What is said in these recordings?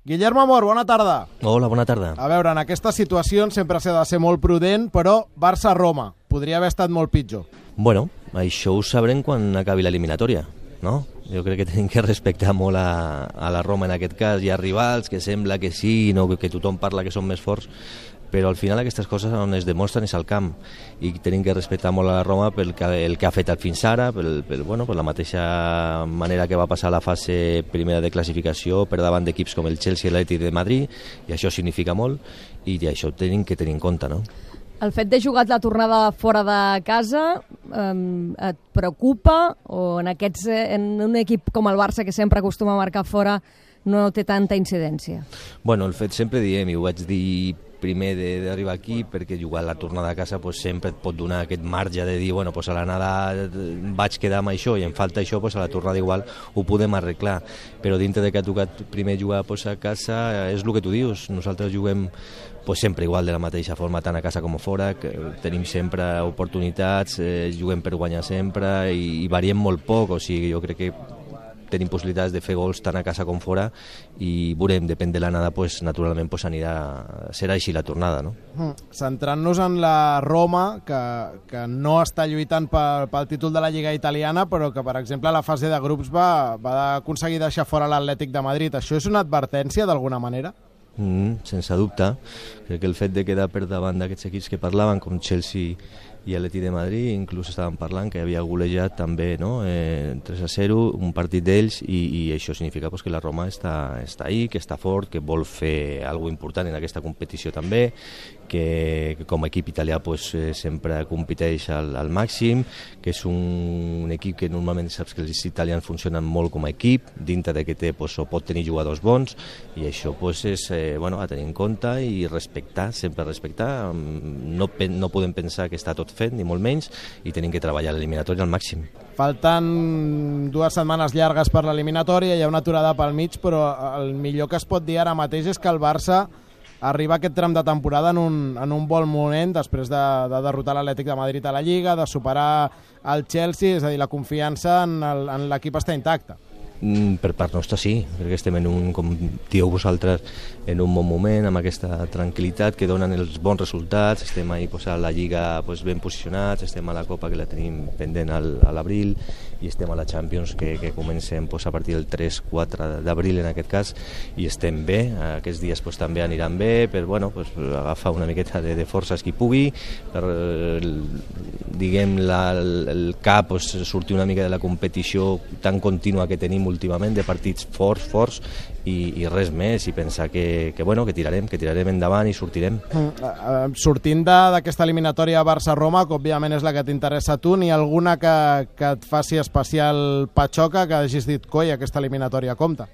Guillermo Amor, bona tarda. Hola, bona tarda. A veure, en aquestes situacions sempre s'ha de ser molt prudent, però Barça-Roma podria haver estat molt pitjor. Bueno, això ho sabrem quan acabi l'eliminatòria, no? Jo crec que tenim que respectar molt a la Roma en aquest cas. Hi ha rivals que sembla que sí, no, que tothom parla que són més forts, però al final aquestes coses on es demostren és al camp, i tenim que respectar molt a la Roma pel que ha fet fins ara, per la mateixa manera que va passar la fase primera de classificació per davant d'equips com el Chelsea i l'Atlètic de Madrid, i això significa molt, i això ho tenim que tenir en compte, no? El fet de jugar la tornada fora de casa et preocupa, o en un equip com el Barça, que sempre acostuma a marcar fora, no té tanta incidència? Bueno, el fet sempre diem, i ho vaig dir primer d'arribar aquí, perquè jugar la tornada a casa sempre et pot donar aquest marge de dir, bueno, a l'anada vaig quedar amb això i em falta això, a la tornada igual ho podem arreglar, però dintre de que ha tocat primer jugar a casa, és el que tu dius, nosaltres juguem sempre igual, de la mateixa forma, tant a casa com a fora, que tenim sempre oportunitats, juguem per guanyar sempre i variem molt poc, o sigui, jo crec que tenim possibilitats de fer gols tant a casa com fora, i veurem, depèn de l'anada, naturalment serà així la tornada, no? Centrant-nos en la Roma, que no està lluitant pel títol de la Lliga italiana, però que, per exemple, a la fase de grups va aconseguir deixar fora l'Atlètic de Madrid. Això és una advertència, d'alguna manera? Sense dubte. Crec que el fet de quedar per davant d'aquests equips que parlaven, com Chelsea i l'Atlètic de Madrid, inclús estaven parlant que havia golejat també, no? 3-0, un partit d'ells, i això significa que la Roma està ahí, que està fort, que vol fer alguna cosa important en aquesta competició també, que com a equip italià sempre competeix al màxim, que és un equip que normalment saps que els italians funcionen molt com a equip, dintre de que té o pot tenir jugadors bons, i això és a tenir en compte i respectar, sempre respectar. No podem pensar que està tot fet, ni molt menys, i tenim que treballar l'eliminatòria al màxim. Falten 2 setmanes llargues per l'eliminatòria, hi ha una aturada pel mig, però el millor que es pot dir ara mateix és que el Barça arriba a aquest tram de temporada en un bon moment, després de derrotar l'Atlètic de Madrid a la Lliga, de superar el Chelsea, és a dir, la confiança en l'equip està intacta. Per part nostra sí, perquè estem com dieu vosaltres, en un bon moment, amb aquesta tranquil·litat que donen els bons resultats, estem ahí a la Lliga ben posicionats, estem a la Copa, que la tenim pendent a l'abril, i estem a la Champions, que comencem a partir del 3-4 d'abril en aquest cas, i estem bé. Aquests dies també aniran bé, per agafar una miqueta de forces qui pugui, per el cap sortir una mica de la competició tan contínua que tenim últimament, de partits forts, i res més, i pensar que tirarem endavant i sortirem. Sortint d'aquesta eliminatòria Barça-Roma, que òbviament és la que t'interessa a tu, n'hi ha alguna que et faci especial patxoca, que hagis dit, coi, aquesta eliminatòria compta?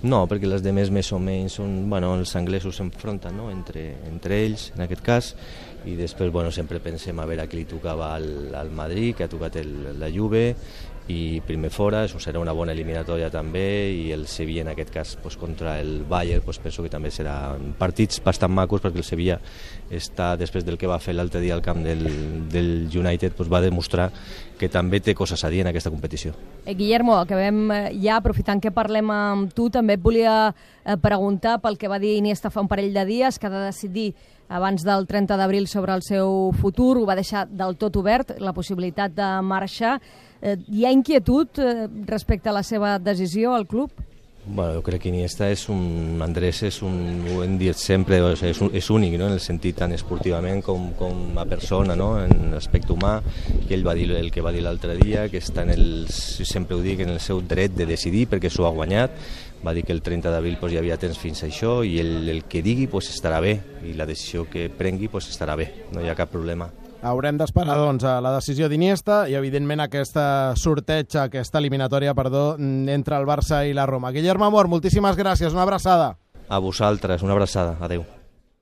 No, perquè les demés més o menys són, els anglesos s'enfronten, no?, entre ells, en aquest cas, i després sempre pensem a veure a qui li tocava al Madrid, que ha tocat la Juve, i primer fora, això serà una bona eliminatòria també, i el Sevilla en aquest cas contra el Bayern, penso que també seran partits bastant macos, perquè el Sevilla està, després del que va fer l'altre dia al camp del United, va demostrar que també té coses a dir en aquesta competició. Guillermo, acabem ja, aprofitant que parlem amb tu, també et volia preguntar pel que va dir Iniesta fa un parell de dies, que ha de decidir abans del 30 d'abril sobre el seu futur, ho va deixar del tot obert, la possibilitat de marxar. Hi ha inquietud respecte a la seva decisió al club? Jo crec que Iniesta Andrés ho hem dit sempre, és únic, no?, en el sentit tant esportivament com a persona, no?, en l'aspecte humà, que ell va dir el que va dir l'altre dia, que està sempre ho dic, en el seu dret de decidir, perquè s'ho ha guanyat. Va dir que el 30 d'abril hi havia temps fins a això, i el que digui estarà bé, i la decisió que prengui estarà bé, no hi ha cap problema. Haurem d'esperar, a la decisió d'Iniesta i, evidentment, aquesta eliminatòria, entre el Barça i la Roma. Guillermo Amor, moltíssimes gràcies, una abraçada. A vosaltres, una abraçada, adeu.